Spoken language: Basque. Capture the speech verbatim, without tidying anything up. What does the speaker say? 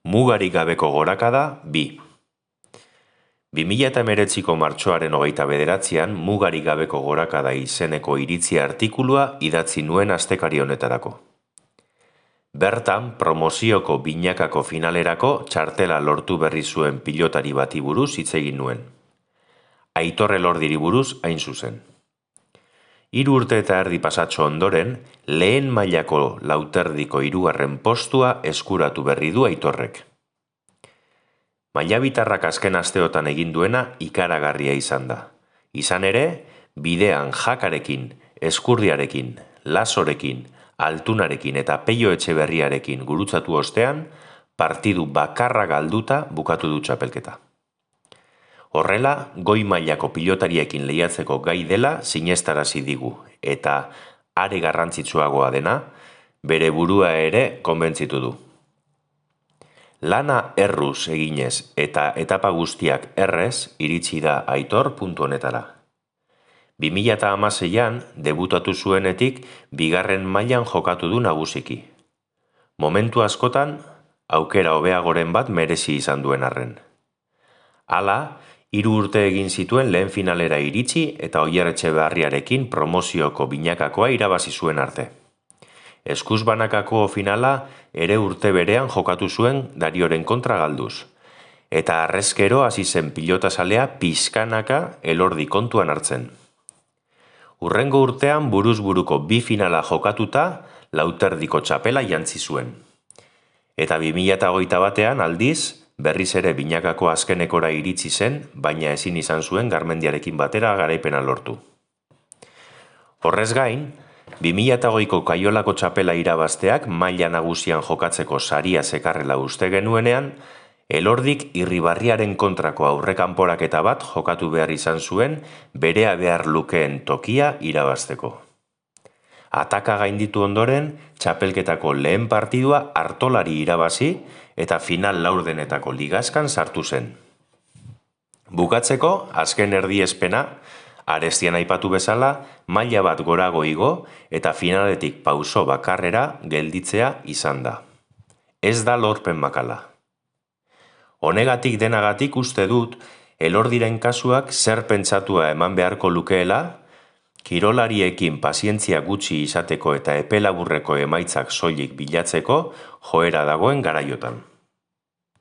Mugarik gabeko gorakada bi. bi mila hemeretziko martxoaren hogeita bederatzian mugarik gabeko gorakada izeneko iritzia artikulua idatzi nuen astekari honetarako. Bertan, promozioko binakako finalerako txartela lortu berri zuen pilotari bati buruz hitz egin nuen. Aitor Elordiri buruz hain zuzen. Hiru urte eta erdi pasatxo ondoren, lehen mailako lauterdiko hirugarren postua eskuratu berri du Aitorrek. Mailabitarrak azken asteotan egin duena ikaragarria izan da. Izan ere, bidean Jakarekin, Eskurdiarekin, Lasorekin, Altunarekin eta Peio Etxeberriarekin gurutzatu ostean, partidu bakarra galduta bukatu du txapelketa. Horrela, goi mailako pilotariekin lehiatzeko gai dela sinestarazi digu, eta are garrantzitsuagoa dena, bere burua ere konbentzitu du. Lana erruz eginez eta etapa guztiak errez iritsi da Aitor puntu honetara. bi mila hamaseian debutatu zuenetik bigarren mailan jokatu du nagusiki. Momentu askotan, aukera hobeagoren bat merezi izan duen arren. Hala, hiru urte egin zituen lehen finalera iritsi eta Oier Etxeberriarekin promozioko binakakoa irabazi zuen arte. Eskuz banakako finala ere urte berean jokatu zuen Darioren kontra galduz. Eta arrezkero hasi zen pilotazalea pixkanaka Elordi kontuan hartzen. Hurrengo urtean buruz buruko bi finala jokatuta lauterdiko txapela jantzi zuen. Eta bi mila hogeita batean aldiz, berriz ere binakako azkenekora iritsi zen, baina ezin izan zuen Garmendiarekin batera garaipena lortu. Horrez gain, bi mila hogeiko Kaiolako txapela irabazteak maila nagusian jokatzeko saria zekarrela uste genuenean, Elordik Irribarriaren kontrako aurrekanporaketa bat jokatu behar izan zuen berea behar lukeen tokia irabazteko. Ataka gainditu ondoren, txapelketako lehen partidua Artolari irabazi eta final laurdenetako ligazkan sartu zen. Bukatzeko, azken erdiespena, arestian aipatu bezala, maila bat gorago igo eta finaletik pauso bakarrera gelditzea izan da. Ez da lorpen makala. Honegatik denagatik uste dut, Elordiren kasuak zer pentsatua eman beharko lukeela, kirolariekin pazientzia gutxi izateko eta epe laburreko emaitzak soilik bilatzeko joera dagoen garaiotan.